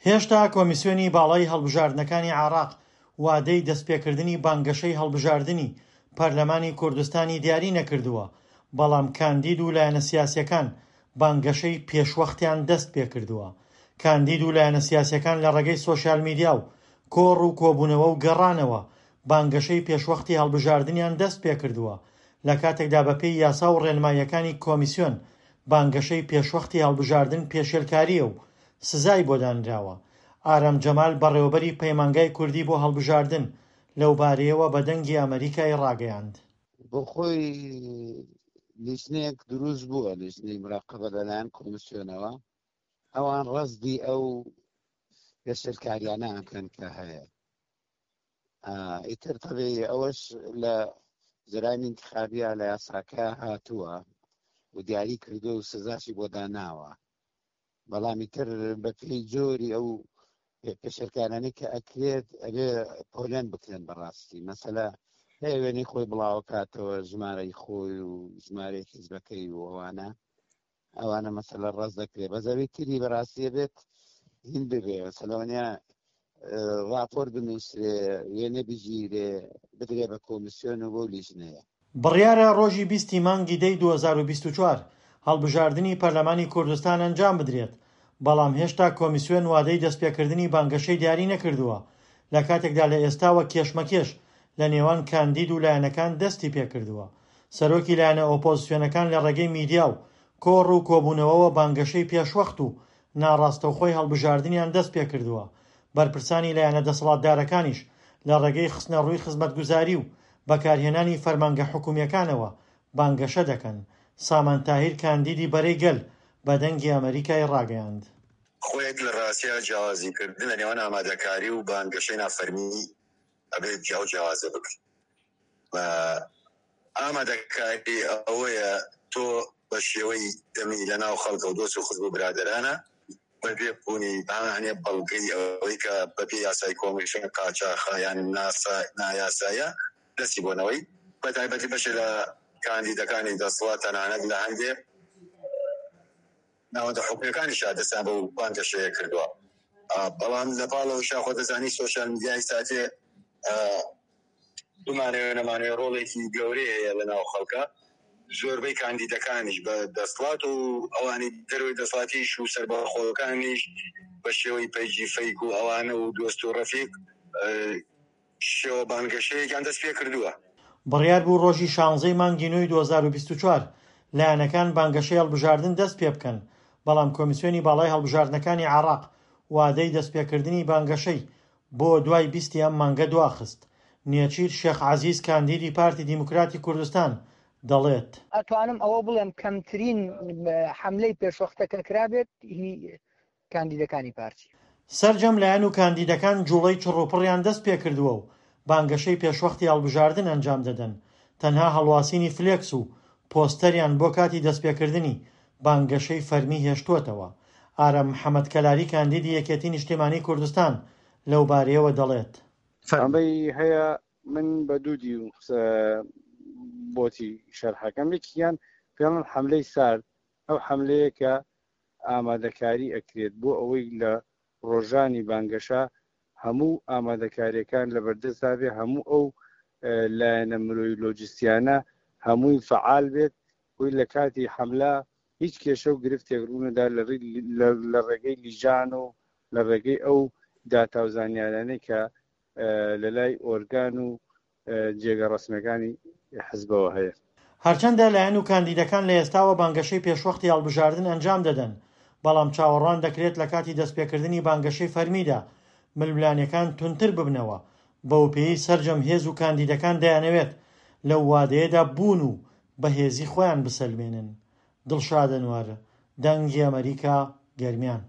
هێشتا کۆمیسیۆنی باڵای هەڵبژاردنەکانی عێراق وادەی دەستپێکردنی بانگەشەی هەڵبژاردنی پەرلەمانی کوردستانی دیاری نەکردووە، بەڵام کاندید و لایەنە سیاسییەکان بانگەشەی پێشوەختیان دەستپێکردووە. کاندید و لایەنە سیاسییەکان لە ڕێگەی سۆشیال میدیا و کۆڕ و کۆبوونەوە و گەڕانەوە بانگەشەی پێشوەختی هەڵبژاردنیان دەستپێکردووە، لە کاتێکدا بەپێی یاسا و ڕێنماییەکانی کۆمیسیۆن بانگەشەی پێشوەختی هەڵبژاردن پێشێلکارییە و سزای بۆ دانراوە. ئارام جەمال بەڕێوەبەری پەیمانگای کوردی بۆ هەڵبژاردن لەوبارەیەوە بە دەنگی ئەمەریکای ڕاگەیاند. بۆ خۆی لیژنەیەک دروست بووە، لیژنەی مراقەبە لەلایەن کۆمیسیۆنەوە، ئەوان ڕەزدی ئەو پێشێلکاریانە ئەکەن کە هەیە. ئیتر تەبیعی ئەوەش لە جەرائمی ئینتخابیە لە یاساکە هاتووە و دیاری کردو و سزاشی بۆ داناوە، بەڵام ئیتر بەپێی جۆری ئەو پێشێلکارانەی کە ئەکرێت ئەبێ پۆلێن بکرێن. بەڕاستی مەسەلە هەیە وێنەی خۆی بڵاوەکاتەوە، ژمارەی خۆی و ژمارەی حیزبەکەی و ئەوانە ئەوانە مەسەلە ڕەز دەکرێت. بەس ئەوی تری بەڕاستیە بێت هین ببێ، مەسەلەوەنیە ڕاپۆرت بنووسرێ، وێنە بگیرێ، بدرێ بە کۆمیسیۆن و بەو لیژنەیە. بڕیارە ڕۆژی 20 ی مانگی دەی 2024 هەڵبژاردنی پەرلەمانی کوردستان ئەنجام بدرێت، بەڵام هێشتا کۆمیسیۆن وادەی دەستپێکردنی بانگەشەی دیاری نەکردووە، لە کاتێکدا لە ئێستاوە کێشمەکێش لە نێوان کاندید و لایەنەکان دەستی پێکردووە. سەرۆکی لایەنە ئۆپۆزسیۆنەکان لە ڕێگەی میدیا و کۆڕ و کۆبوونەوەوە بانگەشەی پێشوەخت و ناڕاستەوخۆی هەڵبژاردنیان دەست پێکردووە، بەرپرسانی لایەنە دەسەڵاتدارەکانیش لە ڕێگەی خستنەڕووی خزمەتگوزاری و بەکارهێنانی فەرمانگە حکومییەکانەوە بانگەشە دەکەن. سامان تاهیر کاندیدی بەرەی گەل بە دەنگی ئەمەریکای ڕاگەیاند. خۆیەک لە ڕاستیا جیاوازی کردن لە نێوان ئامادەکاری و بانگەشەی نافەرمی ئەبێت جیاو جیاوازە بکرێت. ئامادەکاری ئەوەیە تۆ بە شێوەی دەمی لە ناو خەڵکە و دۆست و خزم و برادەرانە بەبێ بوونی هەنێ بەڵگەی ئەوەی کە بەپێی یاسای کۆمیسیۆن قاچاخە یان نایاسایە دەستی بۆ نەوەی بە تایبەتی بەشێ لە کاندیدەکانی دەسڵات تەنانەت لە هەندێ ناوەندە حکومیەکانیشا دەستیان بەو بانگەشەیە کردووە بەڵام لە پاڵ ئەوەشا خۆ دەزانی سۆشیال میدیای ساتێ بمانەوێ نەمانەوێ ڕۆڵێکی گەورەی هەیە لە ناو خەڵکە زۆربەی کاندیدەکانیش بە دەسڵات و ئەوانی دەرەوەی دەسڵاتیش و سەربەخۆکانیش بە شێوەی پەیجی فەیک و ئەوانە و دۆست و ڕەفیق شێوە بانگەشەیەکیان دەست پێ کردووە. بڕیار بوو ڕۆژی شانزەی مانگی نۆی 2024 لایەنەکان بانگەشەی هەڵبژاردن دەست پێ بکەن، بەڵام کۆمیسیۆنی باڵای هەڵبژاردنەکانی عێراق وادەی دەستپێکردنی بانگەشەی بۆ دوای 20 ی ئەم مانگە دواخست. نێچیر شێخ عەزیز کاندیدی پارتی دیموکراتی کوردستان دەڵێت. ئەتوانم ئەوە بڵێم کەمترین حەملەی پێشوەختە کە کرابێت هی کاندیدەکانی پارتی. سەرجەم لایەن و کاندیدەکان جوڵەی چڕوپڕیان دەست پێکردووە و بانگەشەی پێشوەختی هەڵبژاردن ئەنجام دەدەن، تەنها هەڵواسینی فلێکس و پۆستەریان بۆ کاتی دەستپێکردنی بانگەشەی فەرمی هێشتووەتەوە. ئارام محەمەد کەلاری کاندیدی یەکێتی نیشتیمانی کوردستان لەوبارەیەوە دەڵێت. ئەمەی هەیە من بە دوو دیو بۆتی شەرحەکەم، یەکیان پێڵن حەملەی سارد، ئەو حەملەیە کە ئامادەکاری ئەکرێت بۆ ئەوەی لە ڕۆژانی بانگەشە هەموو ئامادەکاریەکان لەبەردەستدا بێ، هەموو ئەو لایەنە مرۆیی لۆجستیانە هەمووی فەعال بێت، بۆی لە کاتی حەملە هیچ کێشە و گرفتێک ڕوونەدا لە ڕێگەی لیژان و لە ڕێگەی ئەو داتا و زانیارانەی کە لە لای ئۆرگان و جێگە ڕەسمیەکانی حزبەوە هەیە. هەرچەندە لایەن و کاندیدەکان لە ئێستاوە بانگەشەی پێشوەختی هەڵبژاردن ئەنجام دەدەن، بەڵام چاوەڕوان دەکرێت لە کاتی دەستپێکردنی بانگەشەی فەرمیدا ململانێکان توندتر ببنەوە، بەوپێیەی سەرجەم هێز و کاندیدەکان دەیانەوێت لەو وادەیەدا بوون و بەهێزی خۆیان بسەلمێنن. دڵشاد ئەنوەر، دەنگی ئەمەریکا، گەرمیان.